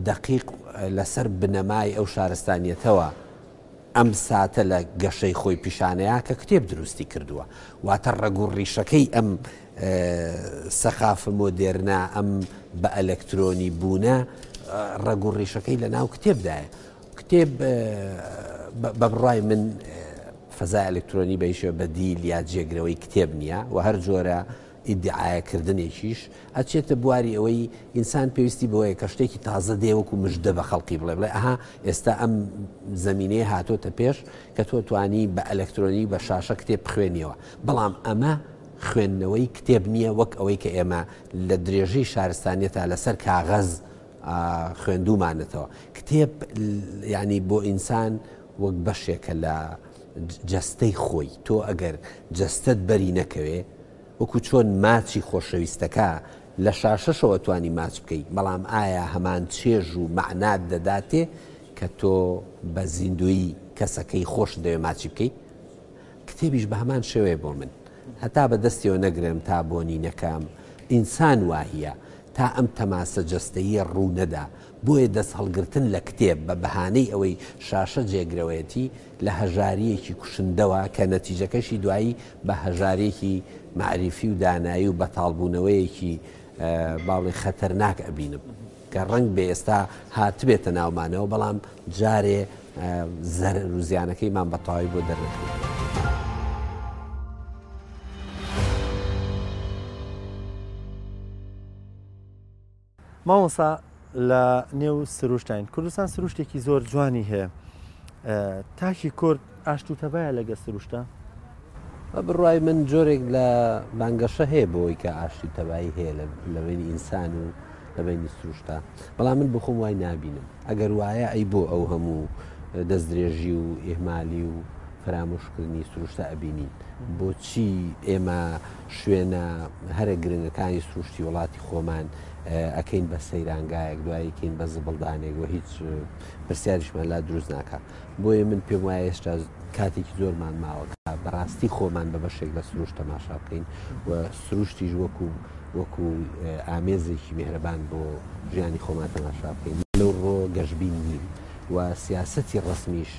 دقیق لەسەر بنەمای ئەو شارستانیەتەوە ئەم ساتە لە گەشەی خۆی پیشانەیا کە کتێب دروستی کردووە. واتە ڕەگ و ڕیشەکەی ئەم سەقافە مۆدێرنە، ئەم بە ئەلەکترۆنی بوونە، ڕەگ و ڕیشەکەی لە ناو کتێبدایە. کتێب بە بڕوای من فەزای ئەلکترۆنی بە هیچ شێوە بەدیل یا جێگرەوەی کتێب نییە و هەر جۆرە ئیدیعایە کردنێکیش ئەچێتە بواری ئەوەی ئینسان پێویستی بەوەیە کە شتێکی تازە دێ وەکو مژدە بە خەڵکی بڵێ بڵێ ئەها ئێستا ئەم زەمینەیە هاتۆتە پێش کە تۆ توانی بە ئەلکترۆنی بە شاشە کتێب بخوێنیەوە بەڵام ئەمە خوێندنەوەی کتێب نییە وەک ئەوەی کە ئێمە لە درێژەی شارستانیەتا لەسەر کاغەز خوێندومانەتەوە کتێب یعنی بۆ ئینسان وەک بەشێکە لە جەستەی خۆی تۆ ئەگەر جەستەت بەری نەکەوێ وەکو چۆن ماچی خۆشەویستەکە لە شاشەشەوە توانی ماچ بکەی بەڵام ئایا هەمان چێژ و مەعنات دەداتێ کە تۆ بە زیندوویی کەسەکەی خۆشت دەوێ ماچی بکەی؟ کتێبیش بە هەمان شێوەیە بۆ من هەتا بە دەستیەوە نەگرم تا بۆنی نەکەم ئینسان واهیە تا ئەم تەماسە جەستەییە ڕوو نەدا بۆیە دەست هەڵگرتن لە کتێب بە بەهانەی ئەوەی شاشە جێگرەوەیەتی لە هەژارییەکی کوشندەوە کە نەتیجەکەشی دوایی بە هەژارییەکی مەعریفی و دانایی و بەتاڵبوونەوەیەکی با بڵێین خەتەرناک ئەبینم کە ڕەنگبێ ئێستا هاتبێتە ناومانەوە بەڵام جارێ زەرەر و زیانەکەیمان بە تەواوی بۆ دەرنەکەوتووە. مامۆستا لە نێو سروشتین کوردستان سروشتێکی زۆر جوانی هەیە تاکی کورد ئاشت و تەبایە لەگە سروشتە؟ بە بڕوای من جۆرێک لە بانگەشە هەیە بۆی کە ئاشتی و تەبایی هەیە لە بەینی ئینسان و لە بەینی سروشتا بەڵام من بخۆم وای نابینم ئەگەر وایە ئەی بۆ ئەو هەموو دەستدرێژی و ئیهمالی و فەرامۆشکردنی سروشتە ئەبینین بۆچی ئێمە شوێنە هەرە گرنگەکانی سروشتی وڵاتی خۆمان ئەکەین بە سەیرانگایەک دوایی کەین بە زبڵدانێک و هیچ پرسیاریشمان لا دروست ناکا بۆیە من پێم وایە هێشتا کاتێکی زۆرمان ماوە کە بەڕاستی خۆمان بە بەشێک لە سروشت تەماشا بکەین و سروشتیش وەکو وەکو ئامێزێکی میهرەبان بۆ ژیانی خۆمان تەماشا بکەین لەو ڕۆ گەشبین نیم و سیاسەتی ڕەسمیش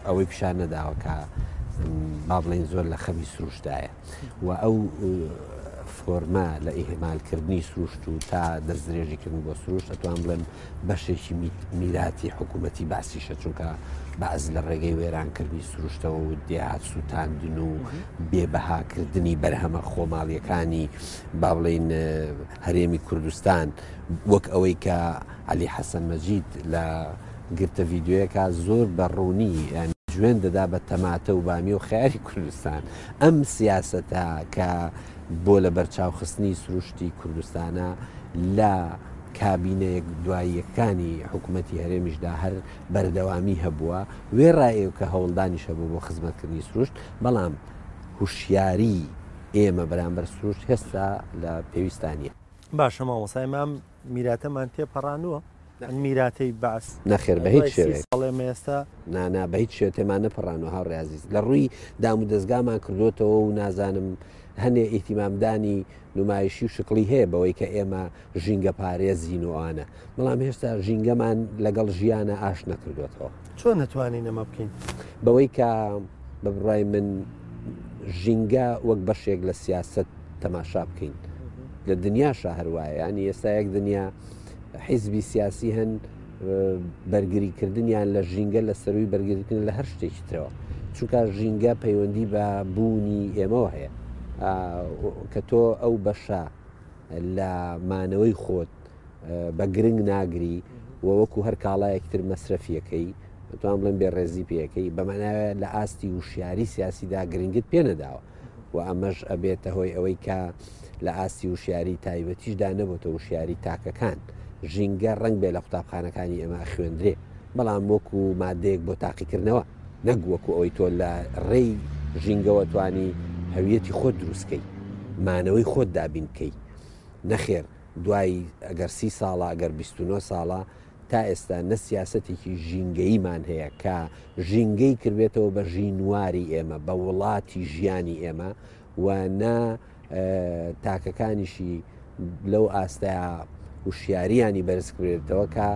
ئەوەی پیشان نەداوە کە با بڵێین زۆر لە خەمی سروشتدایە و ئەو. فۆرمە لە ئیهمالکردنی سروشت و تا دەستدرێژیکردن بۆ سروشت ئەتوان بڵێم بەشێکی میراتی حکوومەتی بەعسیشە چونکە بەعس لە ڕێگەی وێرانکردنی سروشتەوە و دێهات سووتاندن و بێ بەهاکردنی بەرهەمە خۆماڵیەکانی با بڵێین هەرێمی کوردستان وەک ئەوەی کە عەلی حەسەن مەجید لە گرتە ڤیدیۆیەکە زۆر بە ڕوونی یانی جوێن دەدا بە تەماتە و بامیە و خەیاری کوردستان ئەم سیاسەتە کە بۆ لە بەرچاوخستنی سروشتی کوردستانە لە کابینە یەک دواییەکانی حکوومەتی هەرێمیشدا هەر بەردەوامی هەبووە وێڕای ئەو کە هەوڵدانیش هەبوو بۆ خزمەتکردنی سروشت بەڵام هوشیاری ئێمە بەرامبەر سروشت هێستا لە پێویستا نییە. باشە مامۆستا ئێمە ئەم میراتەمان تێپەڕاندووە؟ ئەم میراتەی بەعس نەخێر بە هیچ دوای سی شێوەیەک. ساڵ ئێمە ئێستا. نا نا بە هیچ شێوە تێمان نەپەڕاندووە هاوڕێ ئازیز. لە ڕووی دامودەزگامان کردۆتەوە و نازانم هەنێ ئیهتیمامدانی نومایشی و شکڵی هەیە بەوەی کە ئێمە ژینگەپارێزین و ئەوانە، بەڵام هێشتا ژینگەمان لەگەڵ ژیانا ئاشت نەکردۆتەوە. چۆن ئەتوانین ئەمە بکەین؟ بەوەی کە بە بڕوای من ژینگە وەک بەشێک لە سیاسەت تەماشا بکەین. لە دنیاشا هەر وایە، یانی ئێستا یەک دنیا حیزبی سیاسی هەن بەرگریکردنیان لە ژینگە لە سەرووی بەرگریکردن لە هەر شتێکی ترەوە. چونکە ژینگە پەیوەندی بە بوونی ئێمەوە هەیە. کە تۆ ئەو بەشە لە مانەوەی خۆت بە گرنگ ناگری و وەکو هەر کاڵایەکی تر مەسرەفیەکەی، دەتوانم بڵێم بێڕێزی پێەکەی، بەماناوێ لە ئاستی وشیاری سیاسیدا گرنگت پێ نەداوە و ئەمەش ئەبێتە هۆی ئەوەی کە لە ئاستی وشیاری تایبەتیشدا نەبۆتە وشیاری تاکەکان. ژینگە ڕەنگ بێ لە قوتابخانەکانی ئێمە ئەخوێندرێ، بەڵام وەکو مادەیەک بۆ تاقیکردنەوە. نەک وەکو ئەوەی تۆ لە ڕێی ژینگەوە توانی هەویەتی خۆت دروست کەی، مانەوەی خۆت دابین بکەی. نەخێر دوای ئەگەر سی ساڵە، ئەگەر 29 ساڵە تا ئێستا نە سیاسەتێکی ژینگەییمان هەیە کە ژینگەی کردبێتەوە بە ژینواری ئێمە، بە وڵاتی ژیانی ئێمە و نە تاکەکانیشی لەو ئاستەیا هوشیاریانی بەرز کرێتەوە کە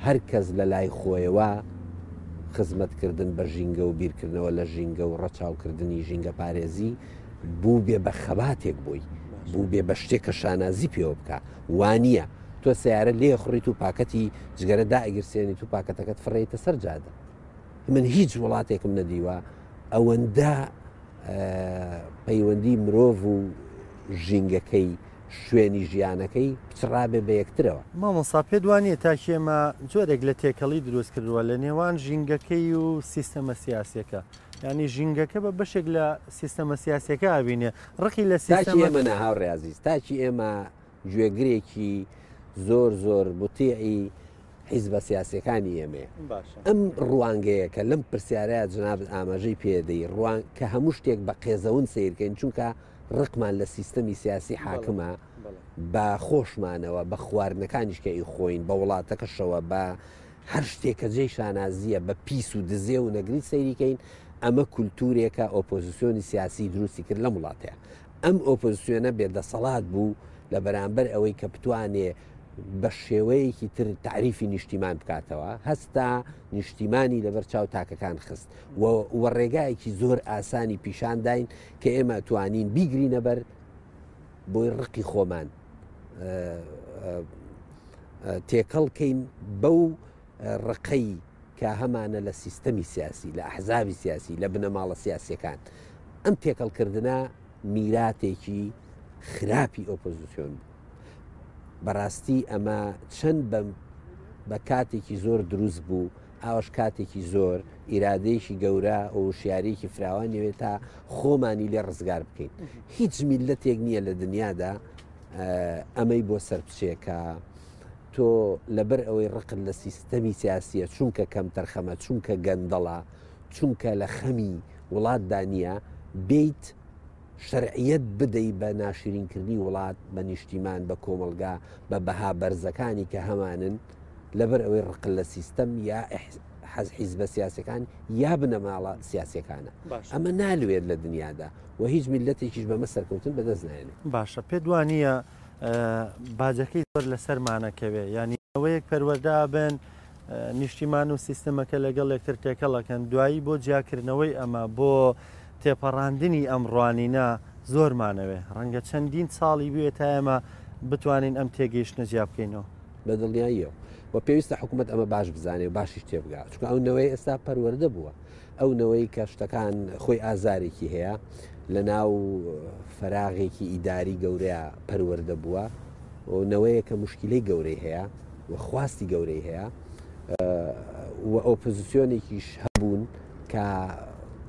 هەر کەس لە لای خۆیەوە خزمەتکردن بە ژینگە و بیرکردنەوە لە ژینگە و ڕەچاوکردنی ژینگەپارێزی بووبێ بە خەباتێک بۆی، بووبێ بە شتێک کە شانازی پێوە بکا. وا نییە تۆ سەیارە لێخوڕیت و پاکەتی جگەرە دائەگیرسێنیت و پاکەتەکەت فڕێیتە سەر جادە. من هیچ وڵاتێکم نەدیوە ئەوەندە پەیوەندی مرۆڤ و ژینگەکەی، شوێنی ژیانەکەی پچڕابێ بە یەکترەوە. مامۆستا پێت وا نییە تاکی ئێمە جۆرێک لە تێکەڵی دروست کردووە لە نێوان ژینگەکەی و سیستەمە سیاسیەکە؟ یانی ژینگەکە بە بەشێک لە سیستەمە سیاسیەکە ئەبینێ، ڕقی لە تاکی سیستەمە. ئێمە نا هاوڕێ ئازیز، تاکی ئێمە گوێگرێکی زۆر زۆر موتیعی حیزبە سیاسیەکانی ئێمەیە. باشە. ئەم ڕوانگەیە کە لەم پرسیارەیا جەنابت ئاماژەی پێدەی، ڕوان کە هەموو شتێک بە قێزەون سەیر کەین، چونکە ڕقمان لە سیستەمی سیاسی حاکمە، بە خۆشمانەوە، بە خواردنەکانیش کە ئیخۆین، بە وڵاتەکەشەوە، بە هەر شتێک کە جێی شانازییە، بە پیس و دزێو و نەگریس سەیری کەین، ئەمە کولتوورێکە ئۆپۆزیسیۆنی سیاسی دروستی کرد لەم وڵاتەیا. ئەم ئۆپۆزیسیۆنە بێ دەسەڵات بوو لە بەرامبەر ئەوەی کە بتوانێ بە شێوەیەکی تر تەعریفی نیشتیمان بکاتەوە، هەستا نیشتیمانی لەبەر چاو تاکەکان خست و و ڕێگایەکی زۆر ئاسانی پیشان داین کە ئێمە توانین بیگرینە بەر بۆی ڕقی خۆمان تێکەڵ کەین بەو ڕقەی کە هەمانە لە سیستەمی سیاسی، لە ئەحزابی سیاسی، لە بنەماڵە سیاسیەکان. ئەم تێکەڵکردنە میراتێکی خراپی ئۆپۆزیسیۆن بوو. بەڕاستی ئەمە چەند بە کاتێکی زۆر دروست بوو، ئاوەش کاتێکی زۆر، ئیرادەیەکی گەورە و وشیارییەکی فراوانی ئەوێت تا خۆمانی لێ ڕزگار بکەین. هیچ میللەتێک نییە لە دنیادا ئەمەی بۆ سەر بچێ کە تۆ لەبەر ئەوەی ڕقت لە سیستەمی سیاسییە، چونکە کەمتەرخەمە، چونکە گەندەڵە، چونکە لە خەمی وڵاتدا نییە، بێیت شەرعیەت بدەی بە ناشرینکردنی وڵات، بە نیشتیمان، بە کۆمەڵگا، بە بەها بەرزەکانی کە هەمانن، لەبەر ئەوەی ڕقت لە سیستەم یا حیزبە سیاسیەکان یا بنەماڵە سیاسیەکانە. ئەمە نالوێت لە دنیادا و هیچ میللەتێکیش بەمە سەرکەوتن بەدەست نایەنێت. باشە پێت وانییە باجەکەی زۆر لەسەرمانەکەوێ یانی نەوەیەک پەروەردە ئەبن نیشتیمان و سیستەمەکە لەگەڵ یەکتر تێکەڵ ئەکەن دوایی بۆ جیاکردنەوەی ئەمە بۆ تێپەڕاندنی ئەم ڕوانینە زۆرمانەوێ، ڕەنگە چەندین ساڵی بوێ تا ئێمە بتوانین ئەم تێگەیشتنە جیا بکەینەوە. بە دڵنیاییەوە و پێویستە حکوومەت ئەمە باش بزانێ و باشیش تێبگا، چونکە ئەو نەوەی ئێستا پەروەردە بووە، ئەو نەوەی کە شتەکان خۆی ئازارێکی هەیە لە ناو فەراغێکی ئیداری گەورەیە پەروەردە بووە و نەوەیە کە مشکلەی گەورەی هەیە و خواستی گەورەی هەیە و ئۆپۆزیسیۆنێکیش هەبوون کە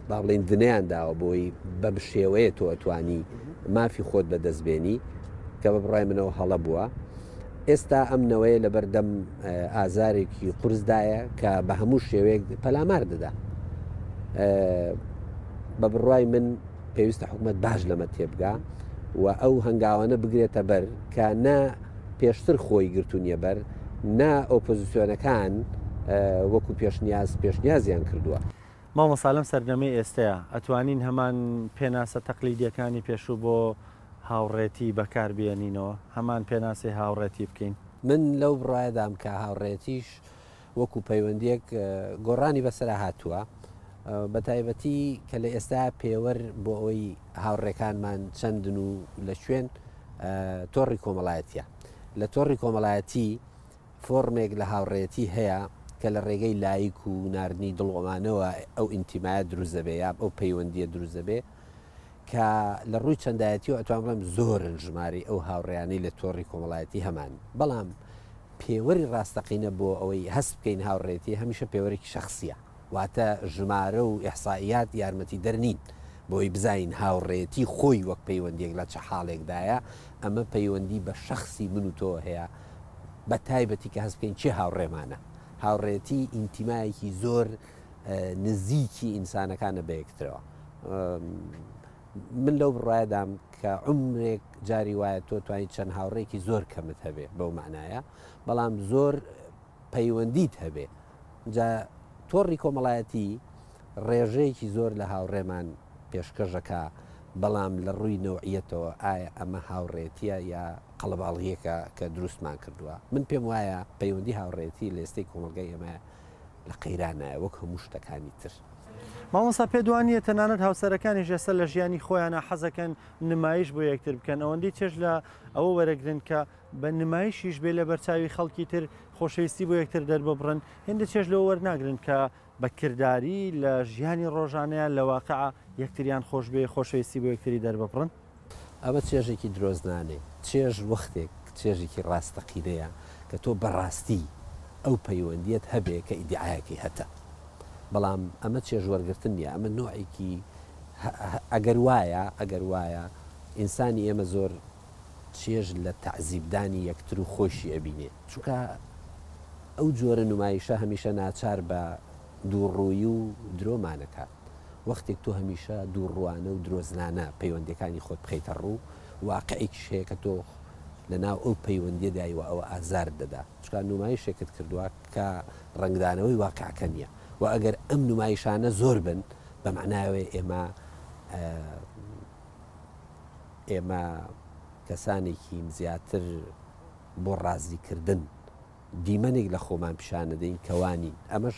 با بڵێین دنەیان داوە بۆی بەم شێوەیە تۆ ئەتوانی مافی خۆت بەدەست بێنی کە بە بڕای منەوە هەڵە بووە ئێستا ئەم نەوەیە لەبەردەم ئازارێکی قورسدایە کە بە هەموو شێوەیەک پەلامار دەدا بە بڕای من پێویستە حکوومەت باش لەمە تێبگا و ئەو هەنگاوانە بگرێتە بەر کە نە پێشتر خۆی گرتوونیە بەر نە ئۆپۆزیسیۆنەکان وەکو پێشنیاز پێشنیازیان کردووە. مامۆستا لەم سەردەمەی ئێستەیا ئەتوانین هەمان پێناسە تەقلیدیەکانی پێشوو بۆ هاوڕێتی بەکار بێنینەوە؟ هەمان پێناسەی هاوڕێتی بکەین؟ من لەو بڕوایەدام کە هاوڕێتیش وەکو پەیوەندیەک گۆڕانی بەسەرا هاتووە بە تایبەتی کە لە ئێستا پێوەر بۆ ئەوەی هاوڕێکانمان چەندن و لە کوێن تۆڕی کۆمەڵایەتیە لە تۆڕی کۆمەڵایەتی فۆڕمێک لە هاوڕێیەتی هەیە کە لە ڕێگەی لایک و ناردنی دڵ و ئەمانەوە ئەو ئینتیمایە دروست دەبێ یا ئەو پەیوەندییە دروست دەبێ کە لە ڕووی چەندایەتیەوە ئەتوانم بڵێم زۆرن ژمارەی ئەو هاوڕێیانەی لە تۆڕی کۆمەڵایەتی هەمان بەڵام پێوەری ڕاستەقینە بۆ ئەوەی هەست بکەین هاوڕێیەتی هەمیشە پێوەرێکی شەخسییە واتە ژمارە و ئیحسائیات یارمەتیدەر نین بۆی بزانین هاوڕێیەتی خۆی وەک پەیوەندییەک لە چ حاڵێکدایە ئەمە پەیوەندی بە شەخسی من و تۆوە هەیە بە تایبەتی کە هەست بکەین کێ هاوڕێمانە. هاوڕێتی ئینتیمایەکی زۆر نزیکی ئینسانەکانە بە یەکترەوە. من لەو بڕوایەدام کە عومرێک جاری وایە تۆ توانی چەند هاوڕێکی زۆر کەمت هەبێ بەو مەعنایە، بەڵام زۆر پەیوەندیت هەبێ. جا تۆڕی کۆمەڵایەتی ڕێژەیەکی زۆر لە هاوڕێمان پێشکەش ئەکا، بەڵام لە ڕووی نەوعیەتەوە ئایا ئەمە هاوڕێتیە یا قەڵەباڵغیەکە کە دروستمان کردووە؟ من پێم وایە پەیوەندی هاوڕێیەتی لە ئێستەی کۆمەڵگای ئێمە لە قەیرانایە وەک هەموو شتەکانی تر. مامۆستا پێت وا نییە تەنانەت هاوسەرەکانیش ئێستا لە ژیانی خۆیانا حەزەکەن نمایش بۆ یەکتر بکەن ئەوەندەی چێژ لە ئەوە وەرەگرن کە بە نمایشیش بێ لەبەرچاوی خەڵکی تر خۆشەویستی بۆ یەکتر دەرببڕن هێندە چێژ لەوە وەرناگرن کە بە کرداری لە ژیانی ڕۆژانەیان لە واقع یەکتریان خۆش بوێ خۆشەویستی بۆ یەکتری دەرببڕن؟ ئەمە چێژێکی درۆزنانەیە. چێژ وەختێک چێژێکی ڕاستەقینەیە کە تۆ بەڕاستی ئەو پەیوەندییەت هەبێ کە ئیدیعایەکەی هەتە. بەڵام ئەمە چێژ وەرگرتن نییە، ئەمە نۆعێکی ئەگەر وایە، ئەگەر وایە ئینسانی ئێمە زۆر چێژ لە تەعزیبدانی یەکتر و خۆیشی ئەبینێ. چونکە ئەو جۆرە نومایشە هەمیشە ناچار بە دووڕوویی و درۆمان ئەکات. وەختێک تۆ هەمیشە دووڕووانە و درۆزنانە پەیوەندییەکانی خۆت بخەیتە ڕوو، واقعێکیش هەیە کە تۆ لە ناو ئەو پەیوەندییەدای و ئەوە ئازارت دەدا. چونکە نومایشێکت کردووە کە ڕەنگدانەوەی واقعەکە نییە. و ئەگەر ئەم نومایشانە زۆر بن، بە مەعنای ئەوەیە ئێمە ئێمە کەسانێکین زیاتر بۆ ڕازیکردن دیمەنێک لە خۆمان پیشانەدەین کە وا نین، ئەمەش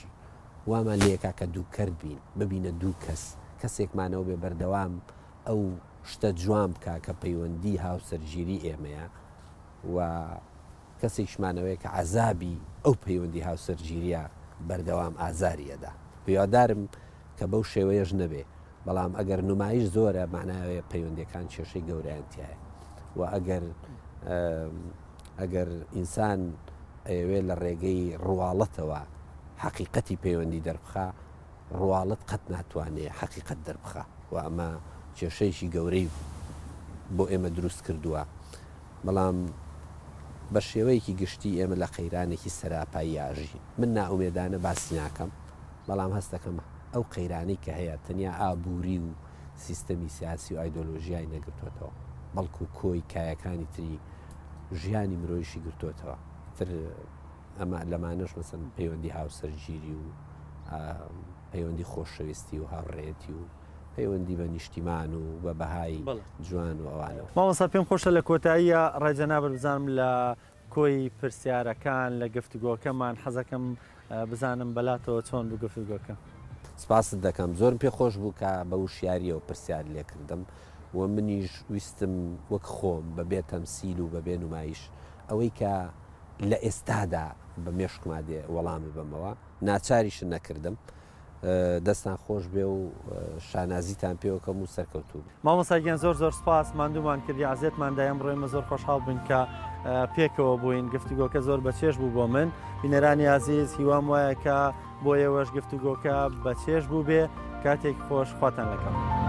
وامان لێکا کە دووکەرت بین، ببینە دوو کەس، کەسێکمانەوە بێ بەردەوام ئەو شتە جوان بکا کە پەیوەندی هاوسەرگیری ئێمەیە و کەسێکیشمانەوەیە کە عەزابی ئەو پەیوەندی هاوسەرگیریە بەردەوام ئازاری ئەدا. هیوادارم کە بەو شێوەیەش نەبێ، بەڵام ئەگەر نمایش زۆرە مەعنای ئەوەیە پەیوەندیەکان کێشەی گەورەیان تیایە و ئەگەر ئەگەر ئینسان ئەیەوێ لە ڕێگەی ڕواڵەتەوە حەقیقەتی پەیوەندی دەربخا ڕواڵەت قەت ناتوانێ حەقیقەت دەربخا و ئەمە کێشەیەکی گەورەی بۆ ئێمە دروست کردووە بەڵام بە شێوەیەکی گشتی ئێمە لە قەیرانێکی سەراپایی ئاژین من نائومێدانە باسی ناکەم بەڵام هەست دەکەم ئەو قەیرانەی کە هەیە تەنیا ئابووری و سیستەمی سیاسی و ئایدۆلۆژیای نەگرتۆتەوە، بەڵکو کۆی کایەکانی تری ژیانی مرۆیشی گرتۆتەوە. ئیتر ئەمە لەمانەش مەسەن پەیوەندی هاوسەرگیری و پەیوەندی خۆشەویستی و هاوڕێیەتی و پەیوەندی بە نیشتیمان و بە بەهای جوان و ئەوانەوە. مامۆستا پێم خۆشە لە کۆتاییا ڕای جەنابت بزانم لە کۆی پرسیارەکان لە گفتوگۆکەمان حەزەکەم بزانم بەلاتەوە چۆن بوو گفتوگۆکە؟ سپاست دەکەم. زۆرم پێ خۆش بوو کە بە وشیارییەوە پرسیارت لێ کردم. و منیش ویستم وەک خۆم بە بێ تەمسیل و بە بێ نومایش ئەوەی کە لە ئێستادا بە مێشکما دێ وەڵام ببەمەوە، ناچاریشت نەکردم. دەستان خۆش بێ و شانازیتان پێوەکەم و سەرکەوتوو بن. مامۆستا گیان زۆر زۆر سپاس ماندوومان کردی عەزێتمان دای ئەمڕۆ ئێمە زۆر خۆشحاڵ بووین کە پێکەوە بووین گفتوگۆکە زۆر بەچێژ بوو بۆ من بینەرانی ئازیز هیوام وایە کە بۆ ئێوەش گفتوگۆکە بەچێژ بوو بێ کاتێک خۆش خواتان لەگەڵ.